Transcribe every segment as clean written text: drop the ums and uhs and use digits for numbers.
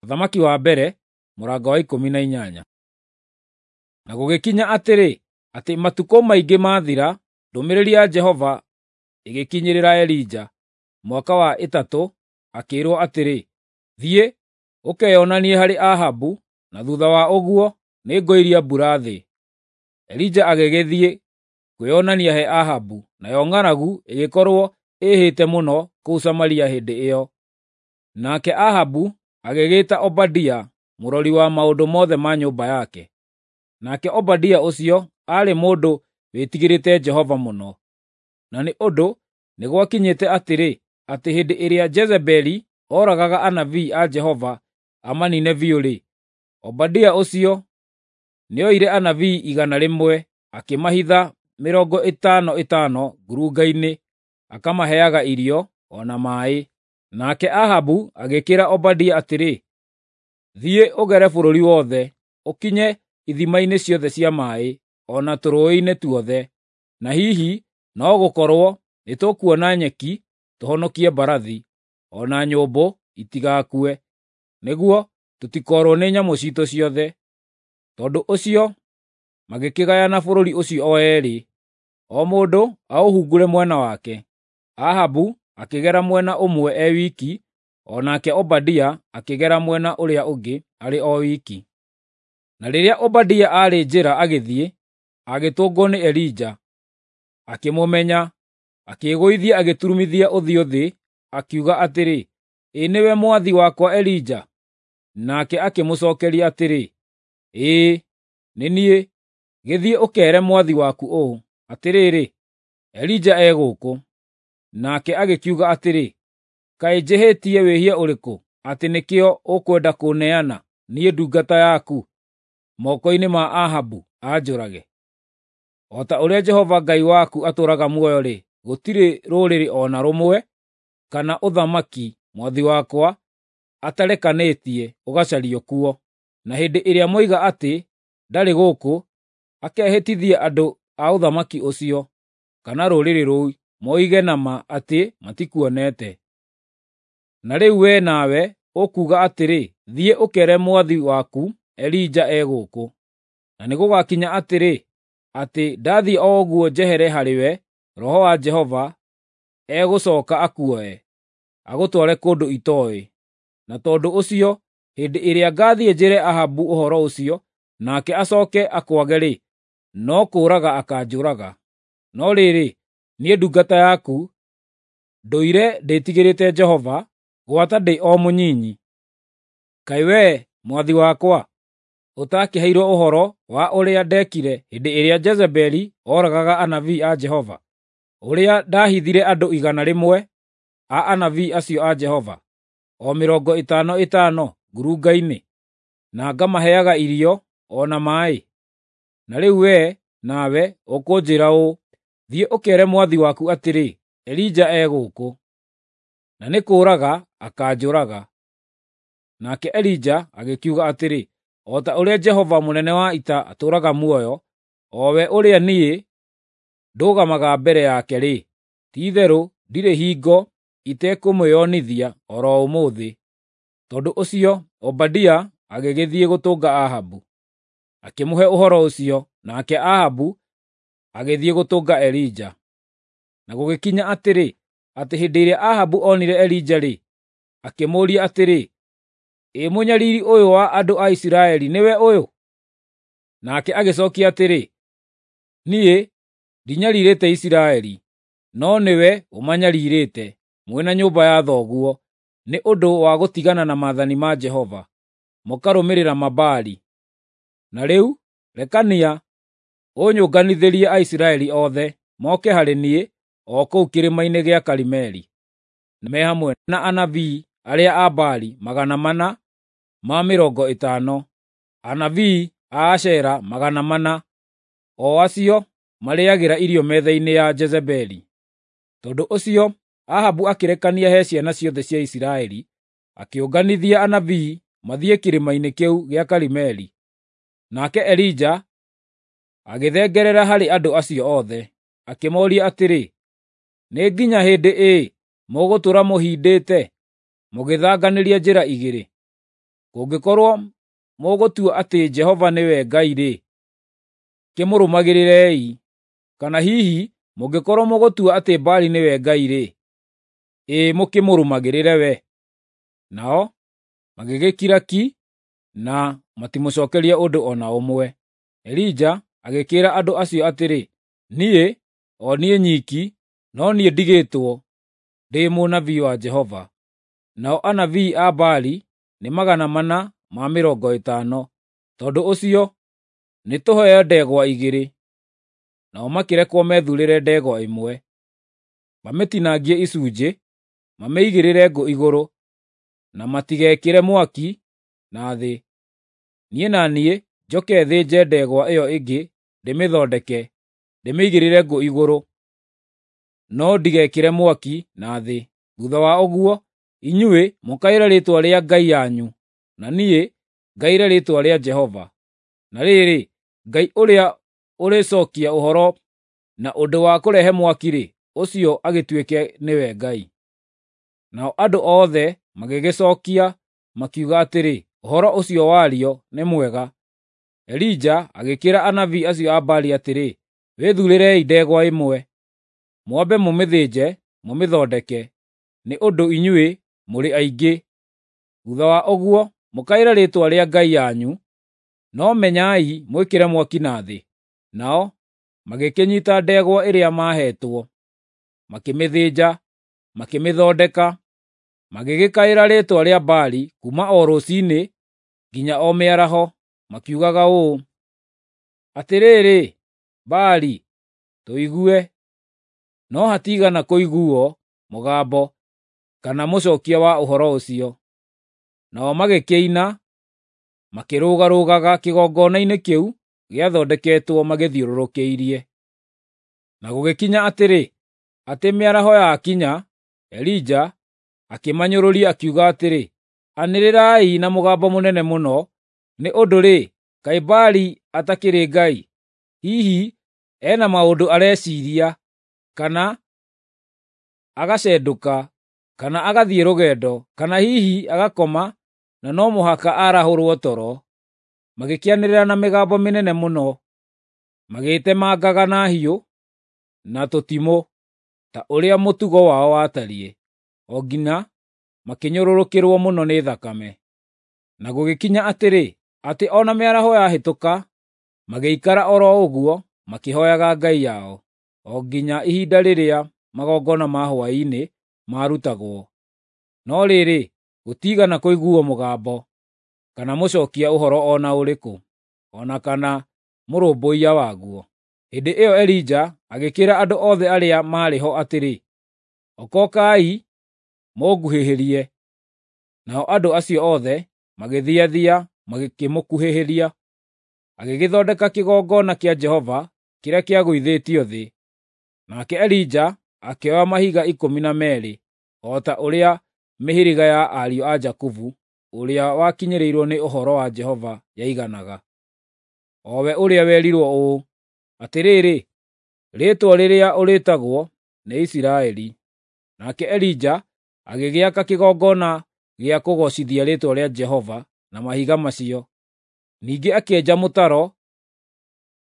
Ũthamaki wa mbere, mũrango wa 18. Na gũgĩkinya atĩrĩ, atĩ matukũ maingĩ maathira, ndũmĩrĩri ya Jehova ĩgĩkinyĩrĩra Elija, mwaka wa 3, akĩĩrwo atĩrĩ, “Thiĩ, ũkeyonanie harĩ Ahabu, na thuutha wa ũguo nĩngoiria mbura thĩ.” Elija agĩgĩthiĩ kwĩonania he Ahabu, nayo ng'aragu ĩgĩkorwo ĩĩhĩte mũno kũu Samaria hĩndĩ ĩyo. Nake Ahabu agĩgĩĩta Obadia, mũrori wa maũndũ mothe ma nyũmba yake. Nake Obadia ũcio aarĩ mũndũ wĩtigĩrĩte Jehova mũno. Na nĩ ũndũ nĩ gwakinyĩte atĩrĩ, atĩ hĩndĩ ĩrĩa Jezebeli ooragaga anabii a Jehova amaniine biũ-rĩ, Obadia ũcio nĩoire anabii 100 akĩmahitha 50 50 ngurunga-inĩ, akamaheaga irio o na maaĩ. Nake Ahabu agĩkĩĩra Obadia atĩrĩ, “Thiĩ ũgere bũrũri wothe, ũkinye ithima-inĩ ciothe cia maaĩ, o na tũrũũĩ-inĩ tuothe, na hihi no gũkorwo nĩtũkuona nyeki tũhonokie mbarathi, o na nyũmbũ itigakue, nĩguo tũtikoorwo nĩ nyamũ ciitũ ciothe.” Tondũ ũcio magĩkĩgayana bũrũri ũcio o eerĩ, o mũndũ aũhungure mwena wake. Ahabu akĩgera mwena ũmwe e wiki, o nake Obadia akĩgera mwena ũrĩa ũngĩ arĩ o wiki. Na rĩrĩa Obadia aarĩ njĩra agĩthiĩ, agĩtũngwo nĩ Elija. Akĩmũmenya, akĩĩgũithia agĩturumithia ũthiũ thĩ, akiuga atĩrĩ, “Ĩ nĩwe mwathi wakwa Elija?” Nake akĩmũcookeria atĩrĩ, “Ĩĩ, nĩ niĩ. Gĩthiĩ ũkeere mwathi waku ũũ, 'Atĩrĩrĩ, Elija e gũkũ.' ” Nake agĩkiuga atĩrĩ, “Kaĩ njĩhĩtie wĩhia ũrĩkũ, atĩ nĩkĩo ũkwenda kũũneana, niĩ ndungata yaku, moko-inĩ ma Ahabu anjũrage? O ta ũrĩa Jehova Ngai waku atũũraga muoyo-rĩ, gũtirĩ rũrĩrĩ o na rũmwe kana ũthamaki mwathi wakwa atarekanĩtie ũgacario kuo. Na hĩndĩ ĩrĩa moiga atĩ, 'Ndarĩ gũkũ,' akehĩtithia andũ a ũthamaki ũcio, kana rũrĩrĩ rũu, moige na ma atĩ matikuonete. Na rĩu wee nawe ũkuuga atĩrĩ, 'Thiĩ ũkeere mwathi waku Elija e gũkũ.' Na nĩgũgakinya atĩrĩ, atĩ ndathiĩ o ũguo njehere harĩwe, Roho wa Jehova egũcooka akuoe, agũtware kũndũ itooĩ. Na tondũ ũcio, hĩndĩ ĩrĩa ngaathiĩ njĩre Ahabu ũhoro ũcio, nake acooke akwage-rĩ, no kũũraga akaanjũraga. No rĩrĩ, niĩ ndungata yaku, ndũire ndĩtigĩrĩte Jehova, gwata ndĩ o mũnyinyi. Kaĩ wee, mwathi wakwa, ũtakĩheirwo ũhoro wa ũrĩa ndeekire hĩndĩ ĩrĩa Jezebeli ooragaga anabii a Jehova, ũrĩa ndahithire andũ 100 a anabii acio a Jehova, o 50 50 ngurunga-inĩ, na ngamaheaga irio o na maaĩ? Na rĩu wee nawe ũkũnjĩĩra ũũ, ‘Thiĩ ũkeere mwathi waku atĩrĩ, Elija e gũkũ,’ na nĩ kũũraga akaanjũraga.” Nake Elija agĩkiuga atĩrĩ, “O ta ũrĩa Jehova mũnene wa ita atũũraga muoyo, o we ũrĩa niĩ ndũgamaga mbere yake-rĩ, ti-itherũ ndirĩ hingo itekũmwĩonithia o ro ũmũthĩ.” Tondũ ũcio Obadia agĩgĩthiĩ gũtũnga Ahabu, akĩmũhe ũhoro ũcio, nake Ahabu agĩthiĩ gũtũnga Elija. Na gũgĩkinya atĩrĩ, atĩ hĩndĩ ĩrĩa Ahabu onire Elija-rĩ, akĩmũũria atĩrĩ, “Ĩ mũnyariiri ũyũ wa andũ a Isiraeli nĩwe ũyũ?” Nake agĩcookia atĩrĩ, “Niĩ ndinyariirĩte Isiraeli, no nĩwe ũmanyariirĩte, mwĩ na nyũmba ya thoguo, nĩ ũndũ wa gũtigana na maathani ma Jehova, mũkarũmĩrĩra Mabaali. Na rĩu rekania ũnyũnganithĩrie Aisiraeli othe, moke harĩ niĩ o kũu kĩrĩma-inĩ gĩa Karimeli, me hamwe na anabii arĩa a Baali 450, anabii a Ashera 400, o acio marĩĩagĩra irio metha-inĩ ya Jezebeli.” Tondũ ũcio Ahabu akĩrekania he ciana ciothe cia Isiraeli, akĩũnganithia anabii mathiĩ kĩrĩma-inĩ kĩu gĩa Karimeli. Nake Elija agĩthengerera harĩ andũ acio othe, akĩmooria atĩrĩ, “Nĩ nginya hĩndĩ ĩ mũgũtũũra mũhindĩte, mũgĩthanganĩria njĩra igĩrĩ? Kũngĩkorwo mũgũtua atĩ Jehova nĩwe Ngai-rĩ, kĩmũrũmagĩrĩrei; kana hihi mũngĩkorwo mũgũtua atĩ Baali nĩwe Ngai-rĩ, ĩĩ mũkĩmũrũmagĩrĩre we." Nao magĩgĩkira ki na matimũcookeria ũndũ o na ũmwe. Elija agĩkĩĩra andũ acio atĩrĩ, “Niĩ, o niĩ nyiki, no niĩ ndigĩtwo ndĩ mũnabii wa Jehova, nao anabii a Baali nĩ 450. Tondũ ũcio nĩtũheo ndegwa igĩrĩ.” Nao makĩrekwo methuurĩre ndegwa ĩmwe, mamĩtinangie icunjĩ, mamĩigĩrĩre ngũ igũrũ, na matigekĩre mwaki na thĩ. Niĩ na niĩ njoke thĩnje ndegwa ĩyo ĩngĩ ndĩmĩthondeke, ndĩmĩigĩrĩre ngũ igũrũ, no ndigekĩre mwaki na thĩ. Thuutha wa ũguo, inyuĩ mũkaĩre rĩĩtwa rĩa ngai yanyu, na niĩ ngaĩre rĩĩtwa rĩa Jehova. Na rĩrĩ, Ngai ũrĩa ũrĩcookia ũhoro na ũndũ wa kũrehe mwaki-rĩ, ũcio agĩtuĩke nĩwe Ngai. Nao andũ othe magĩgĩcookia makiuga atĩrĩ, “Ũhoro ũcio wario nĩ mwega.” Elija agĩkĩĩra anabii acio a Baali atĩrĩ, “Wĩthuurĩrei ndegwa ĩmwe, mwambe mũmĩthĩnje mũmĩthondeke, nĩ ũndũ inyuĩ mũrĩ aingĩ. Thuutha wa ũguo mũkaĩre rĩĩtwa rĩa ngai yanyu, no menyai mwĩkĩre mwaki na thĩ.” Nao magĩkĩnyiita ndegwa ĩrĩa maaheetwo, makĩmĩthĩnja, makĩmĩthondeka, magĩgĩkaĩra rĩĩtwa rĩa Baali kuuma o rũciinĩ nginya o mĩaraho, makiugaga ũũ, “Atĩrĩrĩ, Baali, tũigue!” No hatiigana kũiguuo mũgambo kana mũcookia wa ũhoro ũcio. Nao magĩkĩina, makĩrũgarũgaga kĩgongona-inĩ kĩu gĩathondeketwo magĩthiũrũrũkĩirie. Na gũgĩkinya atĩrĩ, atĩ mĩaraho yakinya, Elija akĩmanyũrũria akiuga atĩrĩ, “Anĩrĩrai na mũgambo mũnene mũno, nĩ ũndũ-rĩ, kaĩ Baali atakĩrĩ Ngai? Hihi ena maũndũ areciiria, kana agacendũka, kana agathiĩ rũgendo, kana hihi agakoma na no mũhaka aarahũrwo toro.” Magĩkĩanĩrĩra na mĩgambo mĩnene mũno, magĩĩtemangaga na hiũ na tũtimũ, ta ũrĩa mũtugo wao watariĩ, o nginya makĩnyũrũrũkĩrwo mũno nĩ thakame. Na gũgĩkinya atĩrĩ, atĩ o na mĩaraho yahĩtũka, magĩikara o ro ũguo makĩhooyaga ngai yao, o nginya ihinda rĩrĩa magongona ma hwaĩ-inĩ maarutagwo. No rĩrĩ, gũtiigana kũiguuo mũgambo, kana mũcookia ũhoro o na ũrĩkũ, o na kana mũrũmbũiya waguo. Hĩndĩ ĩyo Elija agĩkĩĩra andũ othe arĩa maarĩ ho atĩrĩ, “Okokai mũnguhĩhĩrie.” Nao andũ acio othe magĩthiathia magĩkĩmũkuhĩhĩria. Agĩgĩthondeka kĩgongona kĩa Jehova kĩrĩa kĩagũithĩtio thĩ. Nake Elija akĩoya mahiga 12, o ta ũrĩa mĩhĩrĩga ya ariũ a Jakubu ũrĩa wakinyĩrĩirwo nĩ ũhoro wa Jehova yaiganaga, o we ũrĩa werirwo ũũ, “Atĩrĩrĩ, rĩĩtwa rĩrĩa ũrĩĩtagwo nĩ Isiraeli.” Nake Elija agĩgĩaka kĩgongona gĩa kũgoocithia rĩĩtwa rĩa Jehova na mahiga macio. Ningĩ akĩenja mũtaro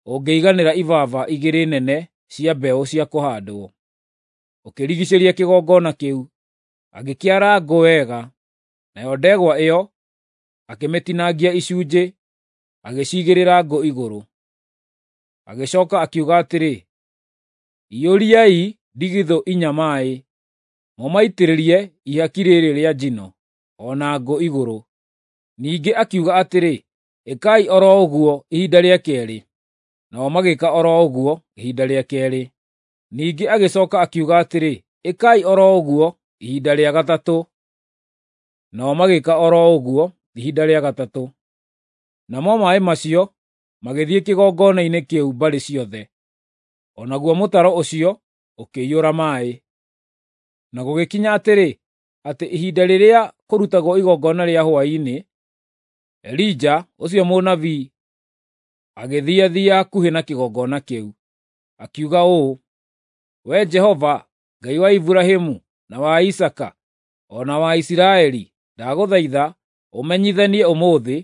ũngĩiganĩra ibaba igĩrĩ nene cia mbeũ cia kũhaandwo, ũkĩrigiicĩria kĩgongona kĩu. Agĩkĩara ngũ wega, nayo ndegwa ĩyo akĩmĩtinangia icunjĩ, agĩciigĩrĩra ngũ igũrũ. Agĩcooka akiuga atĩrĩ, “Iyũriai ndigithũ inya maaĩ, mũmaitĩrĩrie ihaki rĩrĩ rĩa njino, o na ngũ igũrũ.” Ningĩ akiuga atĩrĩ, “Ĩkai o ro ũguo ihinda rĩa keerĩ.” Nao magĩĩka o ro ũguo ihinda rĩa keerĩ. Ningĩ agĩcooka akiuga atĩrĩ, “Ĩkai o ro ũguo ihinda rĩa gatatũ.” Nao magĩĩka o ro ũguo ihinda rĩa gatatũ. Namo maaĩ macio magĩthiĩ kĩgongona-inĩ kĩu mbarĩ ciothe, o naguo mũtaro ũcio ũkĩiyũra maaĩ. Na gũgĩkinya atĩrĩ, atĩ ihinda rĩrĩa kũrutagwo igongona rĩa hwaĩ-inĩ, Elija ũcio mũnabii agĩthiathia hakuhĩ na kĩgongona kĩu, akiuga ũũ, “Wee Jehova, Ngai wa Iburahĩmu, na wa Isaaka, o na wa Isiraeli, ndagũthaitha ũmenyithanie ũmũthĩ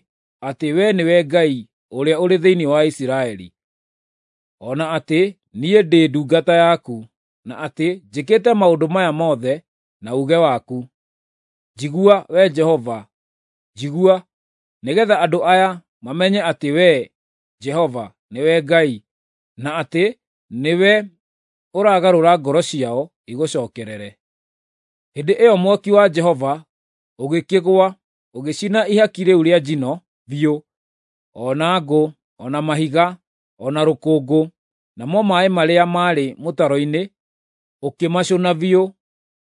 atĩ wee nĩwe Ngai ũrĩa ũrĩ thĩinĩ wa Isiraeli, o na atĩ niĩ ndĩ ndungata yaku, na atĩ njĩkĩte maũndũ maya mothe na uuge waku. Njigua, Wee Jehova, njigua, nĩgeetha andũ aya mamenye atĩ Wee, Jehova, nĩwe Ngai, na atĩ nĩwe ũragarũra ngoro ciao igũcookerere." Hĩndĩ ĩyo mwaki wa Jehova ũgĩkĩgũa ũgĩcina ihaki rĩu rĩa njino biũ, o na ngũ, o na mahiga, o na rũkũngũ, namo maaĩ marĩa maarĩ mũtaro-inĩ ũkĩmacũna biũ.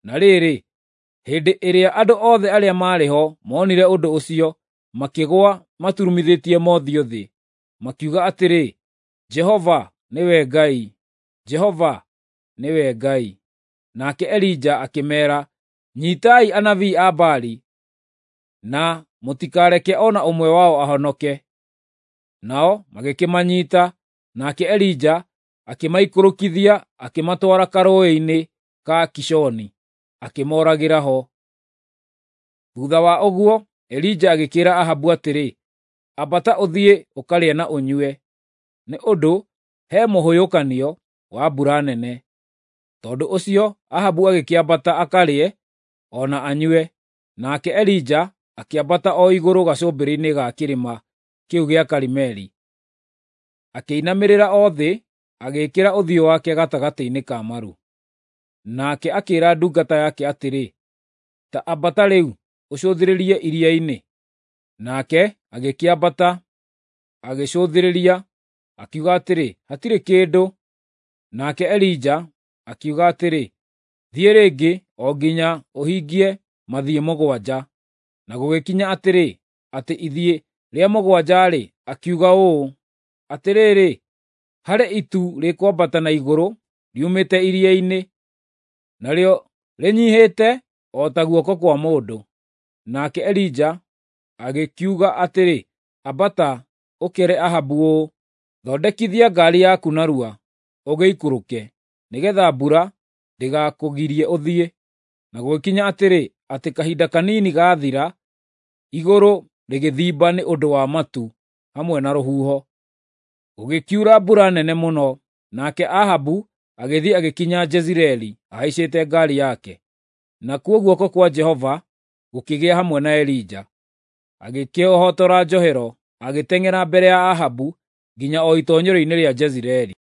Na rĩrĩ, hĩndĩ ĩrĩa andũ othe arĩa maarĩ ho moonire ũndũ ũcio, makĩgũa maturumithĩtie mothiũ thĩ, makiuga atĩrĩ, “Jehova nĩwe Ngai! Jehova nĩwe Ngai!” Nake Elija akĩmeera, “Nyiitai anabii a Baali, na mũtikareke o na ũmwe wao ahonoke.” Nao magĩkĩmanyiita, nake Elija akĩmaikũrũkithia akĩmatwara karũũĩ-inĩ ka Kishoni, akĩmooragĩra ho. Thuutha wa ũguo Elija agĩkĩĩra Ahabu atĩrĩ, “Ambata ũthiĩ ũkarĩe na ũnyue, nĩ ũndũ he mũhũyũkanio wa mbura nene.” Tondũ ũcio Ahabu agĩkĩambata akarĩe o na anyue, nake Elija akĩambata o igũrũ gacũmbĩrĩ-inĩ ga kĩrĩma kĩu gĩa Karimeli. Akĩinamĩrĩra o thĩ, agĩĩkĩra ũthiũ wake gatagatĩ-inĩ ka maru. Nake akĩĩra ndungata yake atĩrĩ, “Ta ambata rĩu ũcũthĩrĩrie iria-inĩ.” Nake agĩkĩambata, agĩcũthĩrĩria, akiuga atĩrĩ, “Hatirĩ kĩndũ.” Nake Elija akiuga atĩrĩ, “Thiĩ rĩngĩ o nginya ũhingie mathiĩ 7.” Na gũgĩkinya atĩrĩ, atĩ ithiĩ rĩa mũgwanja-rĩ, akiuga ũũ, “Atĩrĩrĩ, harĩ itu rĩkwambata na igũrũ riumĩte iria-inĩ, narĩo rĩnyiihĩte o ta guoko kwa mũndũ.” Nake Elija agĩkiuga atĩrĩ, “Ambata, ũkeere Ahabu ũũ, ‘Thondekithia ngaari yaku narua, ũgĩikũrũke, nĩgeetha mbura ndĩgakũgirie ũthiĩ.’ ” Na gũgĩkinya atĩrĩ, atĩ kahinda kanini gaathira, igũrũ rĩgĩthimba nĩ ũndũ wa matu hamwe na rũhuho. Gũgĩkiura mbura nene mũno, nake Ahabu agĩthiĩ agĩkinya Jezireeli ahaicĩte ngaari yake. Nakuo guoko kwa Jehova gũkĩgĩa hamwe na Elija. Agĩkĩĩhotora njohero, agĩteng'era mbere ya Ahabu nginya o itoonyero-inĩ rĩa Jezireeli.